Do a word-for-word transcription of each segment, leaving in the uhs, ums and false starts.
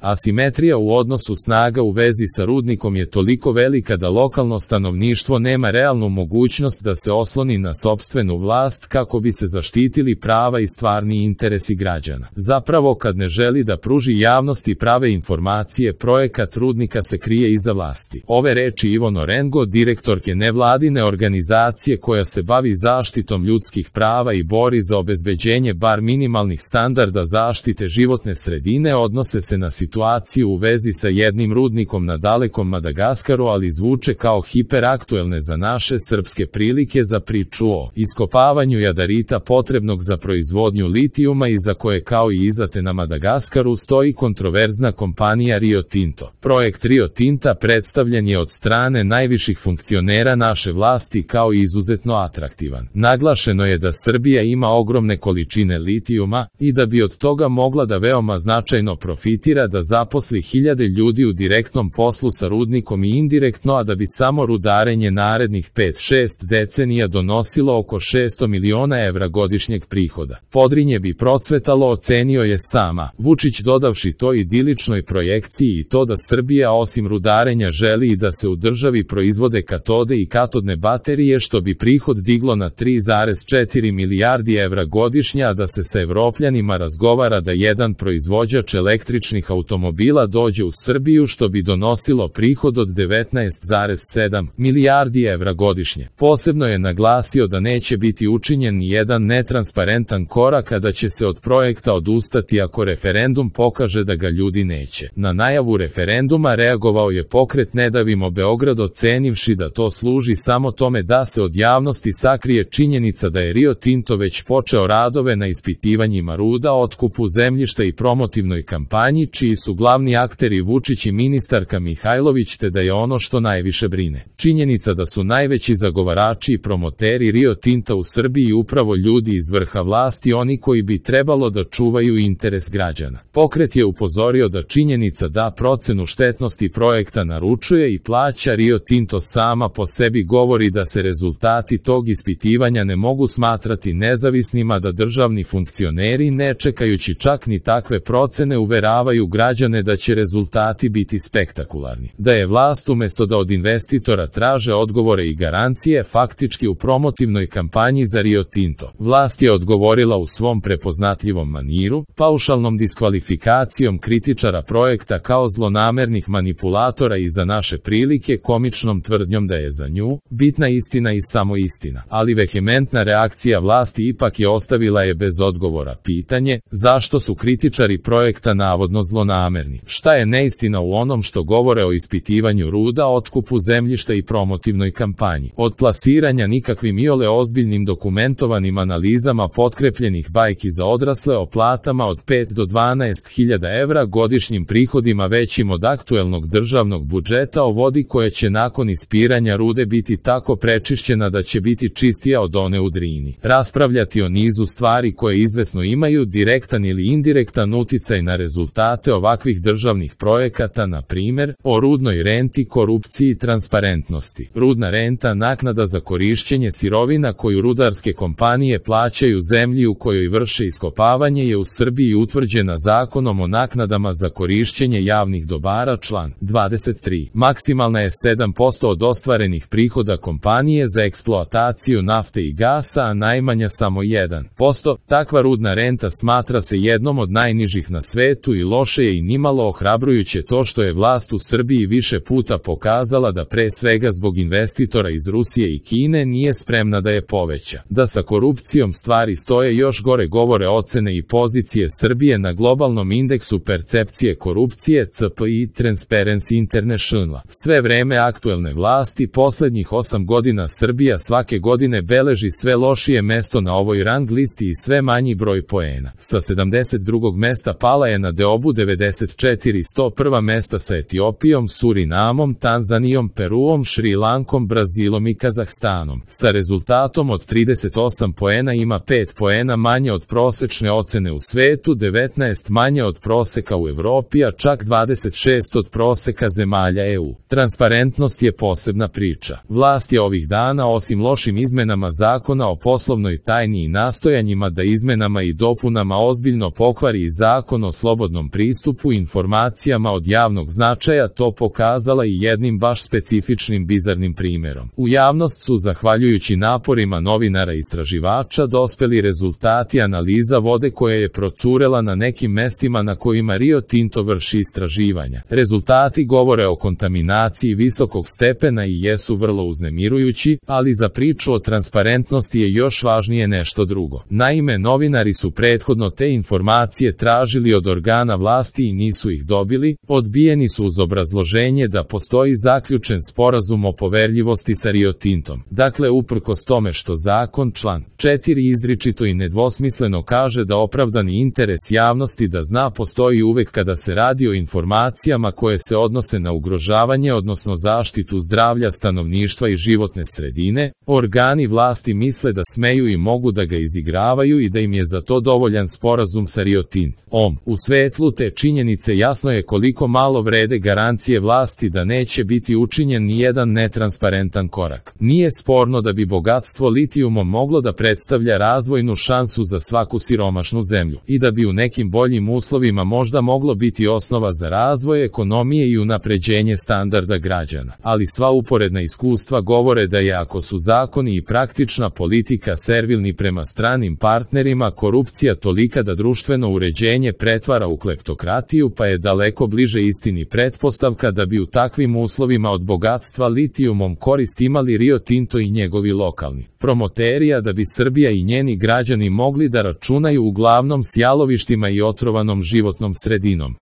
Asimetrija u odnosu snaga u vezi sa rudnikom je toliko velika da lokalno stanovništvo nema realnu mogućnost da se osloni na sopstvenu vlast kako bi se zaštitili prava i stvarni interesi građana. Zapravo, kad ne želi da pruži javnosti prave informacije, projekat rudnika se krije iza vlasti. Ove reči Ivo Norengo, direktorke nevladine organizacije koja se bavi zaštitom ljudskih prava i bori za obezbeđenje bar minimalnih standarda zaštite životne sredine, odnose se na situaciju u vezi sa jednim rudnikom na dalekom Madagaskaru, ali zvuče kao hiperaktuelne za naše srpske prilike za priču o iskopavanju jadarita potrebnog za proizvodnju litijuma i za koje, kao i izate na Madagaskaru, stoji kontroverzna kompanija Rio Tinto. Projekt Rio Tinta predstavljen je od strane najviših funkcionera naše vlasti kao izuzetno atraktivan. Naglašeno je da Srbija ima ogromne količine litijuma i da bi od toga mogla da veoma značajno profitira, da zaposli hiljade ljudi u direktnom poslu sa rudnikom i indirektno, a da bi samo rudarenje narednih pet šest decenija donosilo oko šesto miliona evra godišnjeg prihoda. Podrinje bi procvetalo, ocenio je sama Vučić, dodavši to idiličnoj projekciji i to da Srbija osim rudarenja želi i da se u državi proizvode katode i katodne baterije, što bi prihod diglo na tri zarez četiri milijardi evra godišnje, a da se sa Evropljanima razgovara da jedan proizvođač električnih automobila dođe u Srbiju, što bi donosilo prihod od devetnaest zarez sedam milijardi evra godišnje. Posebno je naglasio da neće biti učinjen ni jedan netransparentan korak, a da će se od projekta odustati ako referendum pokaže da ga ljudi neće. Na najavu referenduma reagovao je pokret Ne davimo Beograd, ocenivši da to služi samo tome da se od javnosti sakrije činjenica da je Rio Tinto već počeo radove na ispitivanjima ruda, otkupu zemljišta i promotivnoj kampanji, čiji su glavni akteri Vučić i ministarka Mihajlović, te da je ono što najviše brine činjenica da su najveći zagovarači i promoteri Rio Tinta u Srbiji upravo ljudi iz vrha vlasti, oni koji bi trebalo da čuvaju interes građana. Pokret je upozorio da činjenica da procenu štetnosti projekta naručuje i plaća Rio Tinto sama po sebi govori da se rezultati tog ispitivanja ne mogu smatrati nezavisnima, da državni funkcioneri, ne čekajući čak ni takve procene, uveravaju građane da će rezultati biti spektakularni. Da je vlast umesto da od investitora traže odgovore i garancije, faktički u promotivnoj kampanji za Rio Tinto, vlast je odgovorila u svom prepoznatljivom maniru, paušalnom diskvalifikacijom kritičara projekta kao zlonamernih manipulatora i za naše prilike komičnom tvrdnjom da je za nju bitna istina i samo istina. Ali vehementna reakcija vlasti ipak je ostavila je bez odgovora pitanje zašto su kritičari projekta navodno zlonamerni. Šta je neistina u onom što govore o ispitivanju ruda, otkupu zemljišta i promotivnoj kampanji? Od plasiranja nikakvim iole ozbiljnim dokumentovanim analizama potkrepljenih bajki za odrasle o platama od pet do dvanaest hiljada evra, godišnjim prihodima većim od aktuelnog državnog budžeta, o vodi koja će nakon ispiranja rude biti tako prečišćena da će biti čistija od one u Drini. Raspravljati o nizu stvari koje izvesno imaju direktan ili indirektan uticaj na rezultate ovakvih državnih projekata, na primer, o rudnoj renti, korupciji i transparentnosti. Rudna renta, naknada za korišćenje sirovina koju rudarske kompanije plaćaju zemlji u kojoj vrše iskopavanje, je u Srbiji utvrđena Zakonom o naknadama za korišćenje javnih dobara, član dvadeset tri. Maksimalna je sedam posto od ostvarenih prihoda kompanije za eksploataciju nafte i gasa, a najmanja samo jedan posto. Takva rudna renta smatra se jednom od najnižih na svetu i loše je i nimalo ohrabrujuće to što je vlast u Srbiji više puta pokazala da pre svega zbog investitora iz Rusije i Kine nije spremna da je poveća. Da sa korupcijom stvari stoje još gore govore ocene i pozicije Srbije na globalnom indeksu percepcije korupcije C P I Transparency International. Sve vreme aktuelne vlasti poslednjih osam godina Srbija svake godine beleži sve lošije mesto na ovoj rang listi i sve manji broj poena. Sa sedamdeset drugog mesta pala je na deobu devedeset četiri, sto prva mesta sa Etiopijom, Surinamom, Tanzanijom, Peruom, Šri Lankom, Brazilom i Kazahstanom. Sa rezultatom od trideset osam poena ima pet poena manje od prosečne ocene u svetu, devetnaest manje od proseka u Evropi, a čak dvadeset šest od proseka zemalja E U. Transparentnost je posebna priča. Vlast je ovih dana, osim lošim izmenama zakona o poslovnoj tajni i nastojanjima da izmenama i dopunama ozbiljno pokvari i zakon o slobodnom pristupu pristupu informacijama od javnog značaja to pokazala i jednim baš specifičnim bizarnim primjerom. U javnost su, zahvaljujući naporima novinara i istraživača, dospeli rezultati analiza vode koja je procurela na nekim mestima na kojima Rio Tinto vrši istraživanja. Rezultati govore o kontaminaciji visokog stepena i jesu vrlo uznemirujući, ali za priču o transparentnosti je još važnije nešto drugo. Naime, novinari su prethodno te informacije tražili od organa vlasti i nisu ih dobili, odbijeni su uz obrazloženje da postoji zaključen sporazum o poverljivosti sa Rio Tintom. Dakle, uprkos tome što zakon član četiri izričito i nedvosmisleno kaže da opravdani interes javnosti da zna postoji uvek kada se radi o informacijama koje se odnose na ugrožavanje odnosno zaštitu zdravlja stanovništva i životne sredine, organi vlasti misle da smeju i mogu da ga izigravaju i da im je za to dovoljan sporazum sa Rio Tintom. U svetlu te činjenice jasno je koliko malo vrede garancije vlasti da neće biti učinjen ni jedan netransparentan korak. Nije sporno da bi bogatstvo litijumom moglo da predstavlja razvojnu šansu za svaku siromašnu zemlju i da bi u nekim boljim uslovima možda moglo biti osnova za razvoj ekonomije i unapređenje standarda građana. Ali sva uporedna iskustva govore da je, ako su zakoni i praktična politika servilni prema stranim partnerima, korupcija tolika da društveno uređenje pretvara u kleptokratiju, pa je daleko bliže istini pretpostavka da bi u takvim uslovima od bogatstva litijumom korist imali Rio Tinto i njegovi lokalni promoteri, a da bi Srbija i njeni građani mogli da računaju uglavnom s jalovištima i otrovanom životnom sredinom.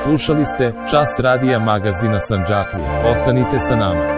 Slušali ste Čas radija magazina Sandžaklija. Ostanite sa nama.